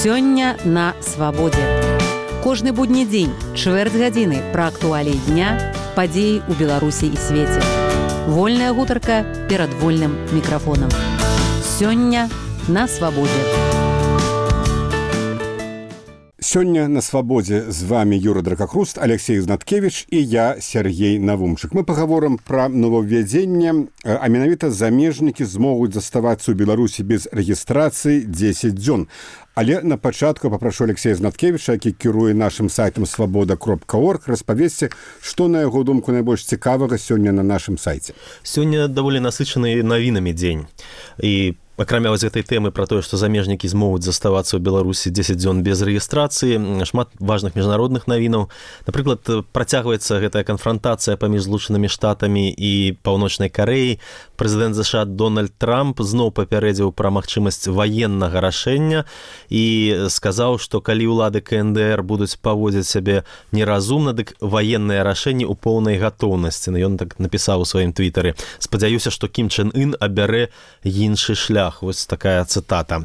Сёння на свабодзе. Кожны будні дзень, чвэрць гадзіны пра актуаліі дня, падзеі ў Беларусі і свеце. Вольная гутарка перад вольным мікрафонам. Сёння на свабодзе. Сёння на свабодзе з вами Юра Дракакруст, Алексей Знаткевич і я, Сергей Навумчык. Мы пагаворым пра новаўвядзенне, а менавіта замежнікі змогуць заставацца ў Беларусі без рэгістрацыі 10 дзён. Але на пачатку папрашу Алексея Знаткевича, які кіруе нашым сайтам свабода.орг, распавесці, што, на яго думку, найбольш цікавага сёння на нашым сайце. Сёння даволі насычаны навінамі дзень. І акрамя вось гэтай тэмы пра тое, што замежнікі змогуць заставацца ў Беларусі 10 дзён без рэгістрацыі, шмат важных міжнародных навінаў. Напрыклад, працягваецца гэтая канфрантацыя паміж Злучанымі Штатамі і Паўночнай Карэяй. Прэзідэнт США Дональд Трамп зноў папярэдзіў пра магчымасць ваеннага рашэння і сказаў, што калі ўлады КНДР будуць паводзіць сябе неразумна, дык ваеннае рашэнне ў поўнай гатоўнасці. Ён так напісаў у сваім твітары. Спадзяюся, што Кім Чен Ын абярэ іншы шлях. Вось такая цытата.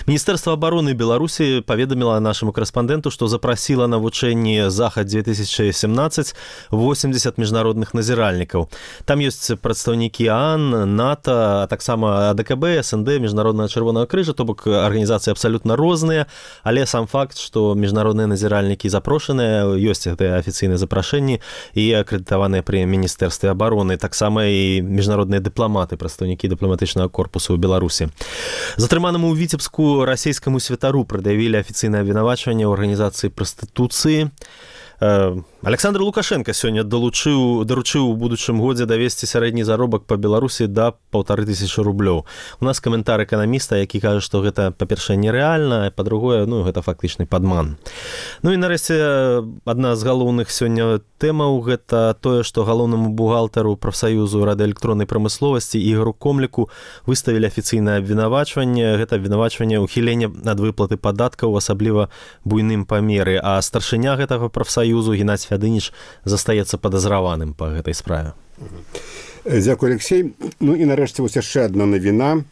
Міністэрства абароны Беларусі паведаміла нашаму корэспандэнту, што запрасіла на вучэнні Захад-2017 80 міжнародных назіральнікаў. Там ёсць прадстаўнікі ААН, НАТО, а таксама АДКБ, СНД, Міжнароднага Чырвонага крыжа, то бок арганізацыі абсалютна розныя, але сам факт, што міжнародныя назіральнікі запрошаныя, ёсць гэтыя афіцыйныя запрашэнні і акрэдытаваныя пры Міністэрстве абароны, таксама і міжнародныя дыпламаты, прадстаўнікі дыпламатычнага корпусу ў Беларусі. Затрыманаму ў Віцебску расійскаму святару прад'явілі афіцыйнае абвінавачванне ў арганізацыі прастытуцыі. Александр Лукашенко сёння даручыў у будучым годзе давесці сярэдні заробак па Беларусі да 1500 рублёў. У нас каментар эканаміста, які кажа, што гэта, па-першае, нерэальна, а па-другое, гэта фактычны падман. І нарэшце, адна з галоўных сёння тэмаў — гэта тое, што галоўнаму бухгалтару прафсаюзу радыёэлектроннай прамысловасці Ігору Комліку выставілі афіцыйнае абвінавачванне. Гэта абвінавачванне ўхілення ад выплаты падаткаў, асабліва буйным памеры, а старшыня гэтага прафсаюзу Геннадзь Фядыніч застаецца падазраваным па гэтай справе. Дзякуй, Алексей. І нарэшце вось яшчэ адна навіна.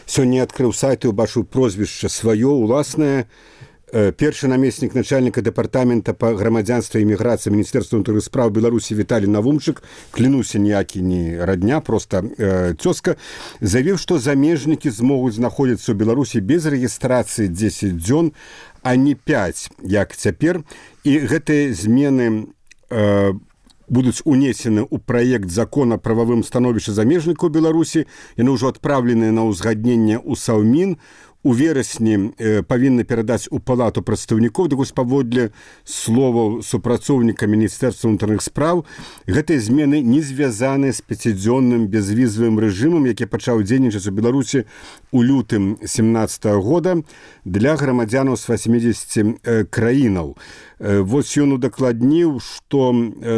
Сёння адкрыў сайт і ўбачыў прозвішча сваё, уласнае. Першы намеснік начальніка дэпартамента па грамадзянстве і міграцыі Міністэрства ўнутраных спраў Беларусі Віталій Навумчык, клянуся, ніякі не радня, проста цёзка, заявіў, што замежнікі змогуць знаходзіцца ў Беларусі без рэгістрацыі 10 дзён, а не 5, як цяпер. І гэтыя змены будуць унесены ў праект закона прававым становішча замежнікаў Беларусі. Яны ўжо адпраўленыя на ўзгадненне ў Саўмін. У верасні павінны перадаць у палату прадстаўнікоў. Дык вось паводле словаў супрацоўніка Міністэрства ўнутраных спраў, гэтыя змены не звязаны з 5-дзённым безвізавым рэжымам, які пачаў дзейнічаць у Беларусі ў лютым 2017 года для грамадзянаў з 80 краінаў. Вось ён удакладніў, што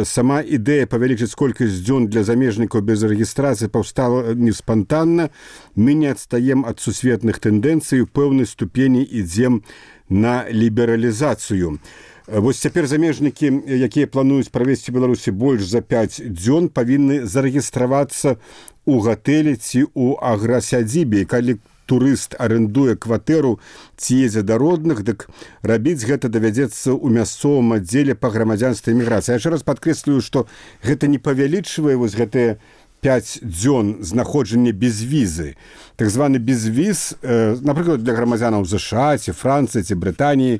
сама ідэя павялічыць колькасць дзён для замежнікаў без рэгістрацыі паўстала не спантанна. Мы не адстаем ад сусветных тэндэнцый, у пэўнай ступені ідзем на лібералізацыю. Вось цяпер замежнікі, якія плануюць правесці ў Беларусі больш за 5 дзён, павінны зарэгістравацца ў гатэлі ці ў аграсядзібе. Калі турыст арэндуе кватэру ці едзе да родных, дык рабіць гэта давядзецца ў мясцовым аддзеле па грамадзянстве і міграцыі. Я яшчэ раз падкрэслюю, што гэта не павялічвае вось гэтыя 5 дзён знаходжання без візы. Так званы безвіз, напрыклад, для грамадзянаў ЗША, ці Францыі, ці Брытаніі,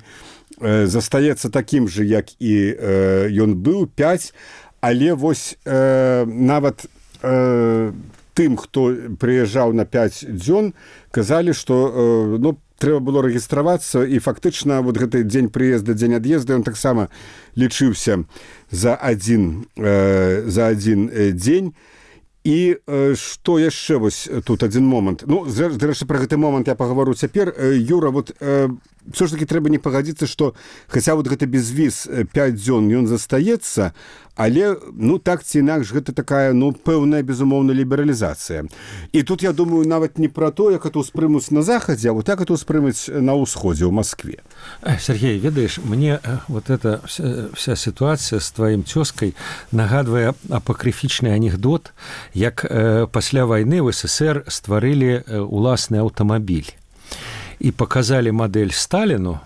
застаецца такім жа, як і ён быў, 5, але вось нават тым, хто прыязджаў на 5 дзён, казалі, што трэба было рэгістравацца, і фактычна вот гэты дзень прыезда, дзень ад'езда, ён таксама лічыўся за адзін дзень. І што яшчэ вось тут адзін момант. Зрэшты, пра гэты момант я паговору цяпер. Юра, вот все ж таки трэба не пагадзіцца, што хаця вот гэты безвіз 5 дзён ён застаецца, але так ці інакш гэта такая пэўная безумоўна лібералізацыя. І тут я думаю нават не пра то, як это ўспрымуць на захадзе, а вот як это ўспрымуць на ўсходзе ў Маскве. Сергей, ведаеш, мне вот эта вся ситуация с твоим тёзкай нагадвае апакрыфічны анекдот, як пасля вайны ў СССР стварылі уласны аўтамабіль. і паказалі мадэль Сталіну,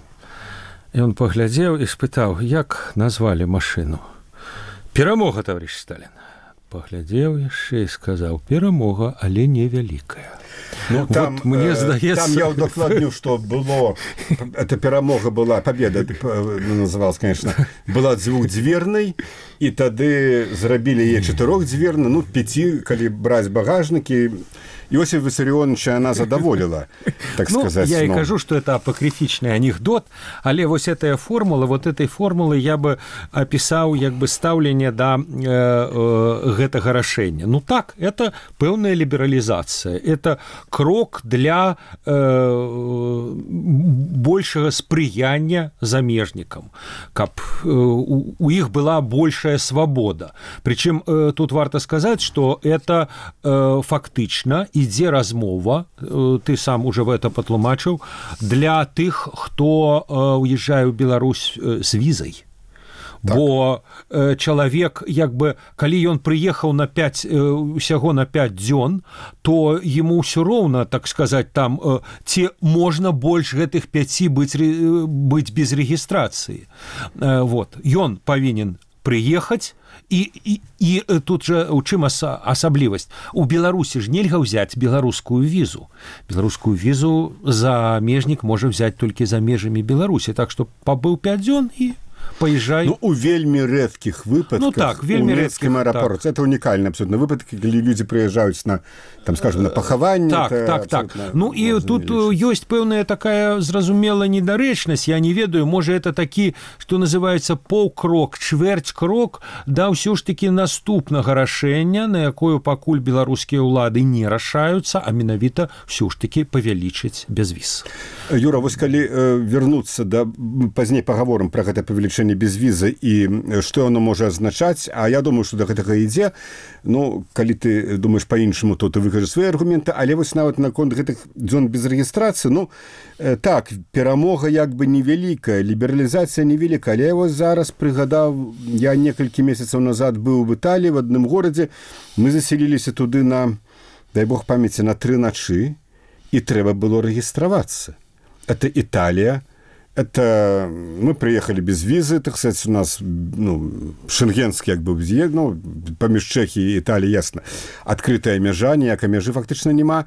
і он паглядзеў і спытаў, як назвалі машыну. Перамога, товарищ Сталин. Паглядзеў яшчэ і сказаў, перамога, але невялікая. Ну, там, вот, мне здаецца... Там я удакладню, что было... Эта перамога была, победа называлась, конечно, была двухдзвернай, і тады зрабілі яе чатырохдзверна, ну, 5, калі браць багажнікі. Иосиф Виссарионович она задоволила, так сказать. Я и кажу, что это апокрифичный анекдот, але вот этой формулы я бы описал как бы ставление до гэтага рашэння. Ну так, это пэўная либерализация, это крок для большего спрыяння замежникам, каб у іх была большая свобода. Причем тут варто сказать, что это фактично ідзе размова, ты сам уже в это патлумачыў, для тых, хто уезжае ў Беларусь з візай. Так. Бо чалавек, як бы, калі ён прыехаў усяго на 5 дзён, то ему ўсё роўна, так сказать, там, ці можна больш гэтых 5 быць без рэгістрацыі. Вот. Ён павінен прыехаць, і тут жа у чым асаблівасць? У Беларусі ж нельга ўзяць беларускую візу. Беларускую візу замежнік можа взять толькі за межамі Беларусі. Так што пабыў 5 дзён і поезжай. Ну, у вельмі рэдкіх выпадках, ну, так, у Мінскім аэропорце, так. Это унікальны абсолютно выпадак, калі людзі прыязджаюць на, там, скажем, на пахаванне. Так. Ну, і тут ёсць пэўная такая зразумела недарэчнасць, я не ведаю, можа, это такі, што называецца паўкрок, чвэрць-крок да ўсё ж такі наступнага рашэння, на якое пакуль беларускія ўлады не рашаюцца, а менавіта ўсё ж такі павялічыць безвіз. Юра, вось калі вернуцца да, пазней пагаворым пра гэта павелічэнне без візы і што оно можа азначаць, а я думаю, што да гэтага ідзе. Ну, калі ты думаеш па-іншаму, то ты выкажаш свае аргументы, але вось нават наконт гэтых дзён без рэгістрацыі, ну, так, перамога як бы невялікая, лібералізацыя невялікая, але я вось зараз прыгадаў, я некалькі месяцаў назад быў в Італіі, в адным горадзе, мы заселіліся туды на, дай бог памяці, на 3 ночы, і трэба было рэгістравацца. Это Италия. Это мы приехали без визы, так сказать, у нас, ну, шенгенский, как бы, ну, поміж Чехії і Італії, ясно, открытая мяжа, ніякай мяжы фактычна нема,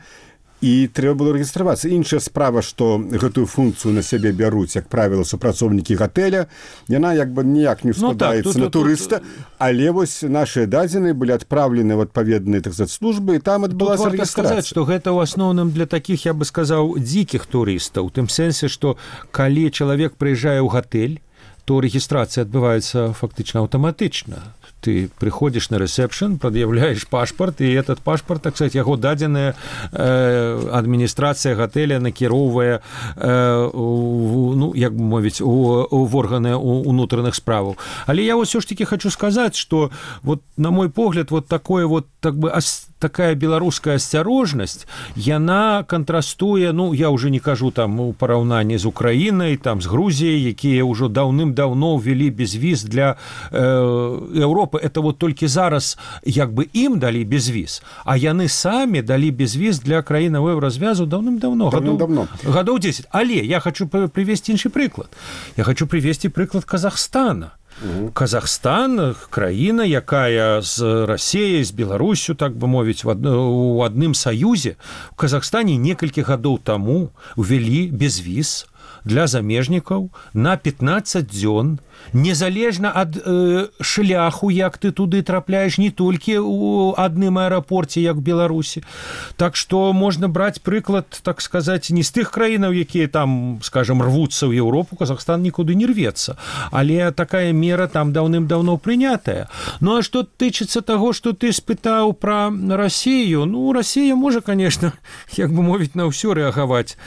і трэба было рэгістравацца. Іншая справа, што гэтую функцыю на сябе бяруць, як правіла, супрацоўнікі гатэля, яна як бы ніяк не складаецца на турыста, але вось нашыя дадзеныя былі адпраўлены ў адпаведныя, так сказать, службы, і там адбылася рэгістрацыя. Тут варта сказаць, што гэта ў асноўным для такіх, я бы сказаў, дзікіх турыстаў, у тым сэнсе, што калі чалавек прыязджае ў гатэль, то рэгістрацыя адбываецца фактычна аўтаматычна. Ты приходишь на ресепшн, предъявляешь пашпарт, и этот пашпарт, так сказать, яго дадзеная адміністрацыя гатэля накіроўвае, ну, як бы мовіць, у органы унутраных справаў. Але я вот все ж таки хочу сказать, что вот, на мой погляд, вот такое вот, так бы, такая беларуская асцярожнасць, яна контрастуе, ну, я уже не кажу там у параўнанні з Украінай, там з Грузіяй, якія ўжо даўным-даўно ўвялі безвіз для Еўропы. Это вот толькі зараз як бы ім далі безвіз, а яны самі далі безвіз для краінаў еўразвязу даўным-даўно, гадоў 10. Але я хочу привести іншы прыклад. Я хочу привести прыклад Казахстана. Казахстан – краіна, якая з Расіяй, з Беларусю, так бы мовіць, у адным саюзе. У Казахстане некалькі гадоў таму увялі безвіз для замежнікаў на 15 дзён, незалежна ад шляху, як ты туды трапляеш, не толькі ў адным аэрапорце, як в Беларусі. Так што можна браць прыклад, так сказаць, не з тых краінаў, якія там, скажем, рвуцца ў Еўропу, Казахстан нікуды не рвецца. Але такая мера там даўным-даўно прынятая. Ну, а што тычыцца таго, што ты спытаў пра Расію, ну, Расія можа, конечно, як бы мовіць, на ўсё рэагаваць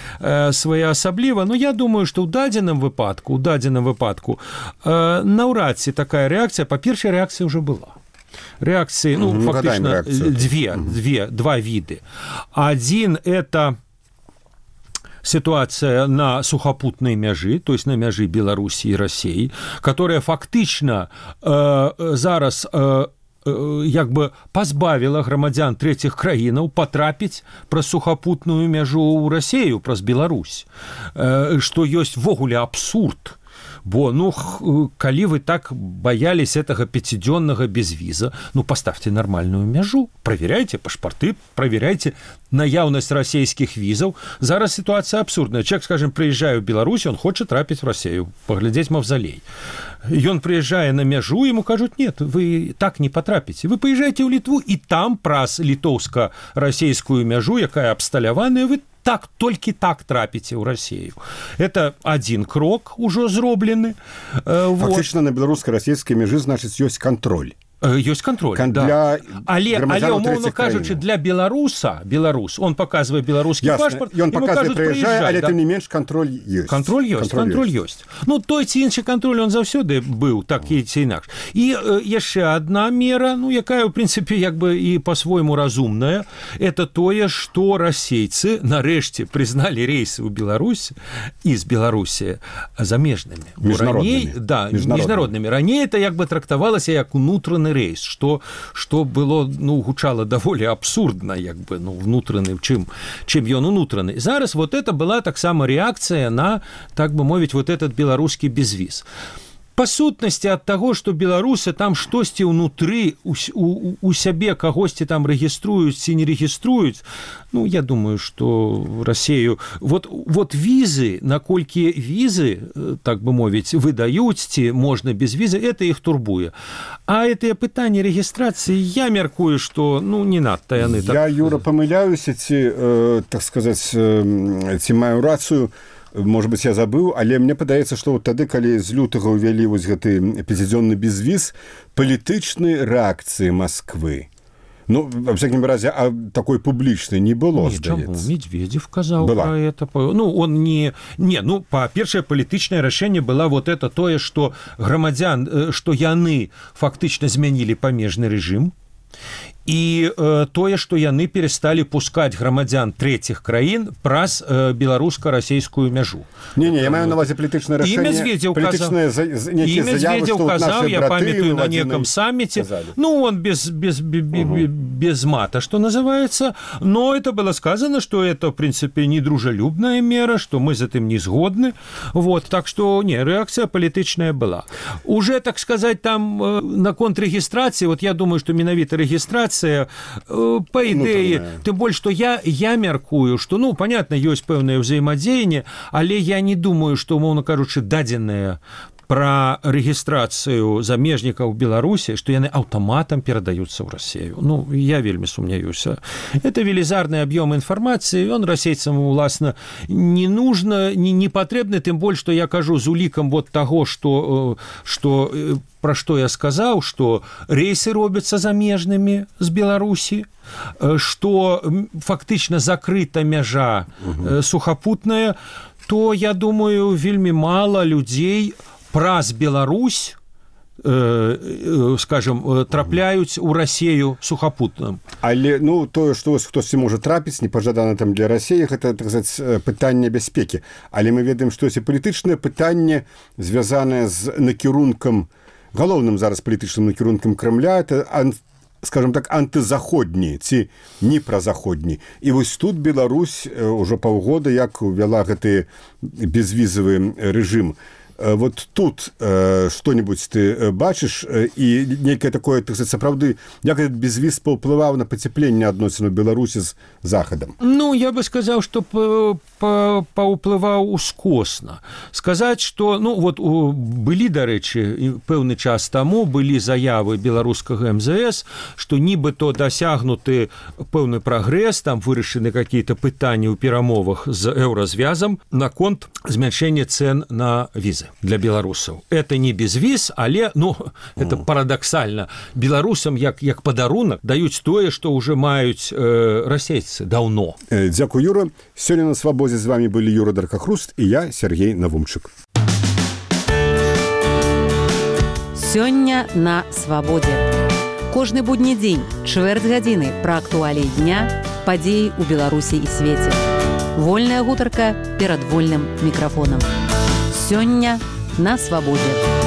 своеасабліва, но я думаю, што ў дадзеным выпадку наўрад ці такая рэакцыя, па-першае, рэакцыя ўжо была. Рэакцыі, ну, фактычна, два віды. Адзін – это ситуация на сухопутной мяжи, то есть на мяжи Беларуси и России, которая фактично зараз як бы пазбавіла грамадзян трэціх краінаў патрапіць праз сухапутную мяжу ў Расею, праз Беларусь, што ёсць ввогуле абсурд. Бо, калі вы так боялись этого пятидённого безвиза, поставьте нормальную мяжу, проверяйте пашпарты, проверяйте наяўнасць расійскіх візаў. Зараз ситуация абсурдная. Человек, скажем, приезжает в Беларусь, он хочет трапить в Россию, поглядеть мавзолей. И он, приезжая на мяжу, ему кажут, нет, вы так не потрапите. Вы поезжаете в Литву, и там праз літоўска-расійскую мяжу, якая абсталяваная, вы толькі так трапіце ў Расію. Это один крок ужо зроблены. Фактычна на беларуска-расійскай мяжы, значыць, ёсць кантроль. Ёсць контроль, да. Але умоўно кажучы, для беларус, он показывае беларускі пашпарт, ён показывае, прыязджае, але тым не менш кантроль ёсць. Контроль ёсць. Той ці іншы кантроль, он заўсёды быў, так і ці інакш. І яшчэ одна мера, якая, в принципе, як бы і по-свойму разумная, это тое, што расейцы нарэшце прызналі рейсы ў Беларусі і з Беларусі замежнымі. Міжнароднымі. Раней это як бы трактавалася як унутраны рейс, что было, гучало даволі абсурдна, як бы, внутраны, чым ён унутраны. Зараз вот это была таксама реакция на, так бы мовіць, вот этот беларускі безвіз. Па сутнасці ад таго, што беларусы там штосьці ўнутры у сябе кагосьці там рэгіструюць ці не рэгіструюць, я думаю, што Расею вот візы, наколькі візы, так бы мовіць, выдаюць ці можна без візы, это іх турбуе. А гэтыя пытанні рэгістрацыі, я мяркую, што не надта яны так. Я, Юра, памыляюся ці, так сказаць, ці маю рацыю. Может быть, я забыл, але мне падаецца, што тады, калі з лютага ўвялі вось гэты пяцідзённы безвіз, палітычнай рэакцыі Москвы, во всяком разе, такой публічнай не было, здаецца. Медведев казаў про это. Он не... па-першае, палітычнае рашэнне было вот это тое, што грамадзян, што яны фактычна змянілі памежны рэжым, і тое, што яны пересталі пускаць грамадзян трэціх краін праз беларуска-расійскую мяжу. Я маю на увазе палітычнае рашэнне. І Медведев казаў, я памятаю на неком саммите, он без мата, что называется, но это было сказано, что это, в принципе, недружелюбная мера, что мы с этим не сгодны. Так что, реакция палітычная была. Уже, так сказать, там на контррегистрации, я думаю, что менавіта регистрация, по идее, тем более, что я мяркую, что, понятно, есть пэўнае ўзаемадзеянне, але я не думаю, что, умоўна кажучы, дадзеныя про рэгістрацыю замежнікаў Беларусі, што яны аўтаматам перадаюцца ў Расію. Я вельмі сумняюся. Это велізарны аб'ём інфармацыі, ён расейцам, уласна, не нужно, не патрэбны, тым больш, што я кажу з улікам таго, што пра што я сказаў, што рейсы робяцца замежнымі з Беларусі, што фактычна закрыта мяжа сухапутная, то, я думаю, вельмі мала людзей праз Беларусь, скажем, трапляюць у Расею сухапутным. Але, тое, што хтосьці можа трапіць, непажадана там для Расеі, гэта, так сказаць, пытанне бяспекі. Але мы ведаем, што ёсць палітычнае пытанне, звязанае з накірункам, галоўным зараз палітычным накірункам Крамля, это, скажем так, антызаходні ці не празаходні. І вось тут Беларусь ўжо паўгода як увяла гэты безвізавы рэжым. Вот тут что-нибудь ты бачыш і нейкае такое, так сказать, сапраўды, як этот безвіз паўплываў на пацяпленне адносін у Беларусі з Захадам? Я бы сказаў, што паўплываў ускосна. Сказаць, што, былі, дарэчы, пэўны час таму былі заявы беларускага МЗС, што нібыто дасягнуты пэўны прагрэс, там вырашаны какие-то пытанні ў перамовах з еўразвязам наконт змяншэння цен на візы для беларусаў. Это не безвіз, але, это парадаксальна. Беларусам як падарунак даюць тое, што ўжо маюць расейцы даўно. Дзякуй, Юра. Сёння на Свабодзе з вами былі Юра Даркахруст і я, Сергей Навумчык. Сёння на Свабодзе. Кожны будні дзень, чвэрць гадзіны пра актуаліі дня, падзеі ў Беларусі і свеце. Вольная гутарка перад вольным мікрафонам. Сёння на Свабодзе.